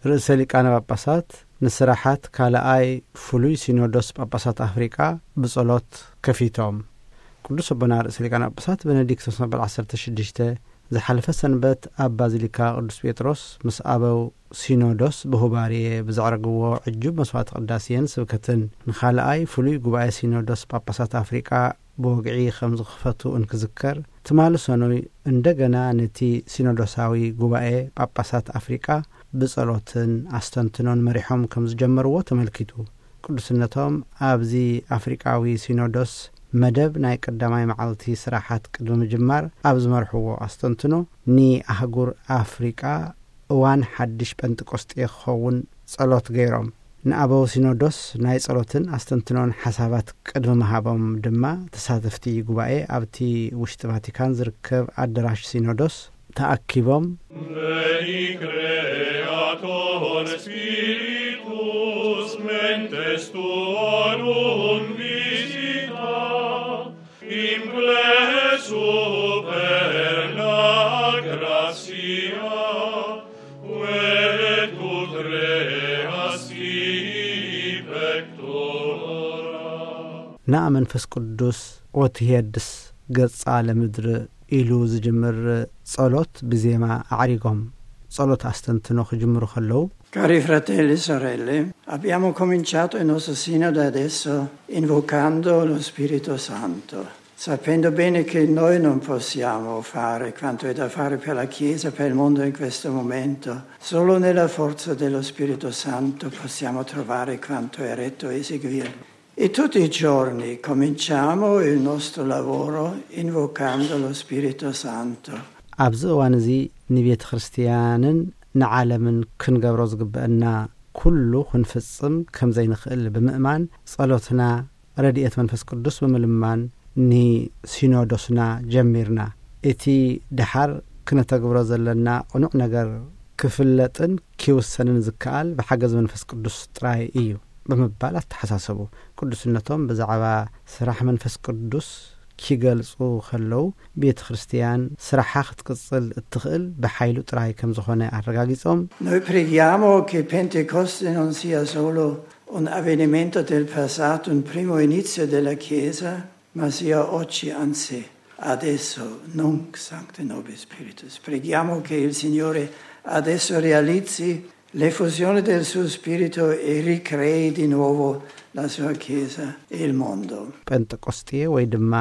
ርእሰ ሊቃነ ጳጳሳት ንስራሓት ካልኣይ ፍሉይ ሲኖዶስ ጳጳሳት ኣፍሪቃ ብጸሎት ከፊቶም። ቅዱስ ኣቦና ርእሰ ሊቃነ ጳጳሳት ቤኔዲክቶስ መበል ዓሰርተ ሽዱሽተ ዝሓለፈ ሰንበት ኣብ ባዚሊካ ቅዱስ ጴጥሮስ ምስ ኣበው ሲኖዶስ ብሁባርየ ብዘዕረግዎ ዕጁብ መስዋዕቲ ቅዳሴን ስብከትን ንኻልኣይ ፍሉይ ጉባኤ ሲኖዶስ ጳጳሳት ኣፍሪቃ ብወግዒ ከም ዝኽፈቱ እንክዝከር፣ ትማሊ ሰኑይ እንደገና ነቲ ሲኖዶሳዊ ጉባኤ ጳጳሳት ኣፍሪቃ ብጸሎትን ኣስተንትኖን መሪሖም ከም ዝጀመርዎ ተመልኪቱ። ቅዱስነቶም ኣብዚ ኣፍሪቃዊ ሲኖዶስ መደብ ናይ ቀዳማይ መዓልቲ ስራሓት ቅድሚ ምጅማር ኣብ ዝመርሕዎ ኣስተንትኖ፣ ንኣህጉር ኣፍሪቃ እዋን ሓድሽ ጴንጠቆስጤ ክኸውን ጸሎት ገይሮም። ንኣበው ሲኖዶስ ናይ ጸሎትን ኣስተንትኖን ሓሳባት ቅድሚ ምሃቦም ድማ፣ ተሳተፍቲ ጉባኤ ኣብቲ ውሽጢ ቫቲካን ዝርከብ ኣደራሽ ሲኖዶስ ተኣኪቦም፣ Veni Creator Spiritus mentes tuorum visita, in plece superna gratia, quae tu creasti pectora. ንኣ መንፈስ ቅዱስ ወትሄድስ ገጻ ለምድር ኢሉ ዝጅምር ጸሎት ብዜማ ኣዕሪጎም ጸሎት ኣስተንትኖ ክጅምሩ ከለዉ፣ Cari fratelli e sorelle, abbiamo cominciato il nostro sinodo adesso invocando lo Spirito Santo, sapendo bene che noi non possiamo fare quanto è da fare per la Chiesa, per il mondo in questo momento. Solo nella forza dello Spirito Santo possiamo trovare quanto è retto eseguire. E tutti i giorni cominciamo il nostro lavoro invocando lo Spirito Santo. ኣብዚ እዋን እዚ ንቤተ ክርስቲያንን ንዓለምን ክንገብሮ ዝግበአና ኩሉ ክንፍጽም ከም ዘይንኽእል ብምእማን፣ ጸሎትና ረድኤት መንፈስ ቅዱስ ብምልማን ንሲኖዶስና ጀሚርና። እቲ ደሓር ክነተግብሮ ዘለና ቅኑዕ ነገር ክፍለጥን ኪውሰንን ዝከኣል ብሓገዝ መንፈስ ቅዱስ ጥራይ እዩ ብምባል ኣተሓሳሰቡ። ቅዱስነቶም ብዛዕባ ስራሕ መንፈስ ቅዱስ ኪገልጹ ከለዉ፣ ቤተ ክርስቲያን ስራሓ ክትቅጽል እትኽእል ብሓይሉ ጥራይ ከም ዝኾነ ኣረጋጊጾም፣ Noi preghiamo che Pentecoste non sia solo un avvenimento del passato, un primo inizio della Chiesa, ma sia oggi, anzi, adesso, nunc sancte nobis spiritus. Preghiamo che il Signore adesso realizzi l'effusione del suo Spirito e ricrei di nuovo la sua Chiesa e il mondo. ጴንጠቆስጤ ወይ ድማ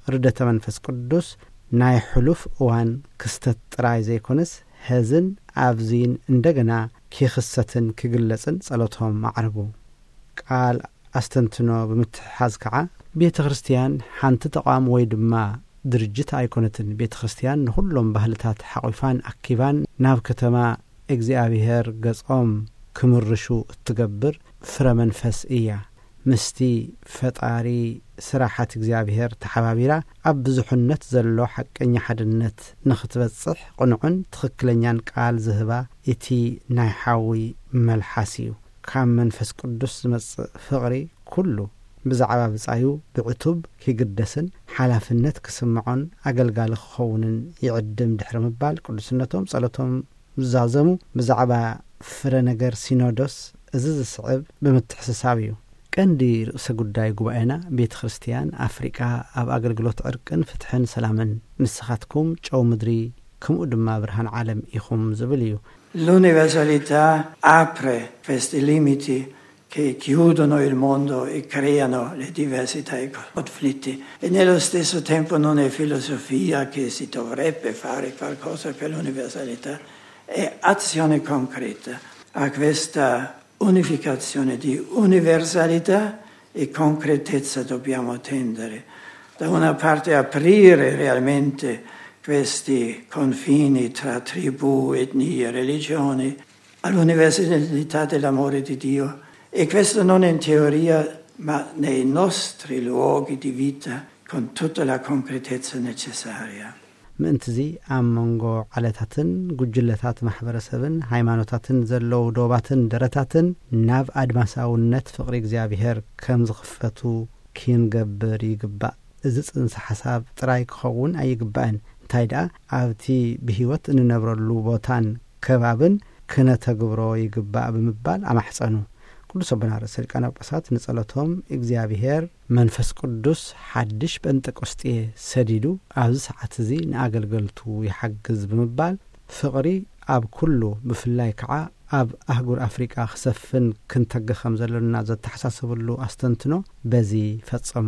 ርደተ መንፈስ ቅዱስ ናይ ሕሉፍ እዋን ክስተት ጥራይ ዘይኮነስ፣ ሐዝን ኣብዚን እንደገና ኪኽሰትን ኪግለጽን ጸሎቶም ኣዕረጉ። ቃል ኣስተንትኖ ብምትሕሓዝ ከዓ፣ ቤተ ክርስቲያን ሓንቲ ተቋም ወይ ድማ ድርጅት ኣይኮነትን። ቤተ ክርስቲያን ንኹሎም ባህልታት ሓቑፋን ኣኪባን ናብ ከተማ እግዚኣብሔር ገጾም ክምርሹ እትገብር ፍረ መንፈስ እያ። ምስቲ ፈጣሪ ስራሓት እግዚኣብሔር ተሓባቢራ ኣብ ብዙሕነት ዘሎ ሓቀኛ ሓድነት ንኽትበጽሕ ቅኑዕን ትኽክለኛን ቃል ዝህባ እቲ ናይ ሓዊ መልሓስ እዩ። ካብ መንፈስ ቅዱስ ዝመጽእ ፍቕሪ ኩሉ ብዛዕባ ብጻዩ ብዕቱብ ኪግደስን ሓላፍነት ክስምዖን ኣገልጋሊ ክኸውንን ይዕድም ድሕሪ ምባል ቅዱስነቶም ጸሎቶም ዝዛዘሙ። ብዛዕባ ፍረ ነገር ሲኖዶስ እዚ ዝስዕብ ብምትሕስሳብ እዩ። ቀንዲ ርእሰ ጉዳይ ጉባኤና ቤተ ክርስቲያን ኣፍሪቃ ኣብ ኣገልግሎት ዕርቅን ፍትሕን ሰላምን፣ ንስኻትኩም ጨው ምድሪ ከምኡ ድማ ብርሃን ዓለም ኢኹም ዝብል እዩ። L'universalità apre questi limiti che chiudono il mondo e creano le diversità e i conflitti. E nello stesso tempo non è filosofia che si dovrebbe fare qualcosa per l'universalità, è azione concreta. A questa unificazione di universalità e concretezza dobbiamo tendere. Da una parte aprire realmente questi confini tra tribù, etnie, religioni, all'universalità dell'amore di Dio, e questo non in teoria, ma nei nostri luoghi di vita, con tutta la concretezza necessaria. ምእንትዚ ኣብ መንጎ ዓለታትን ጉጅለታት ማሕበረሰብን ሃይማኖታትን ዘለዉ ዶባትን ደረታትን ናብ ኣድማሳውነት ፍቕሪ እግዚኣብሔር ከም ዝኽፈቱ ክንገብር ይግባእ። እዚ ጽንሰ ሓሳብ ጥራይ ክኸውን ኣይግባእን። እንታይ ደኣ ኣብቲ ብህይወት እንነብረሉ ቦታን ከባብን ክነተግብሮ ይግባእ ብምባል ኣማሕጸኑ። ቅዱስ ኣቦና ርእሰ ሊቃነ ጳጳሳት ንጸሎቶም እግዚኣብሔር መንፈስ ቅዱስ ሓድሽ ጴንጠቆስጤ ሰዲዱ ኣብዚ ሰዓት እዚ ንኣገልገልቱ ይሓግዝ ብምባል፣ ፍቕሪ ኣብ ኩሉ፣ ብፍላይ ከዓ ኣብ ኣህጉር ኣፍሪቃ ክሰፍን ክንተግህ ከም ዘለና ዘተሓሳሰብሉ ኣስተንትኖ በዚ ፈጸሙ።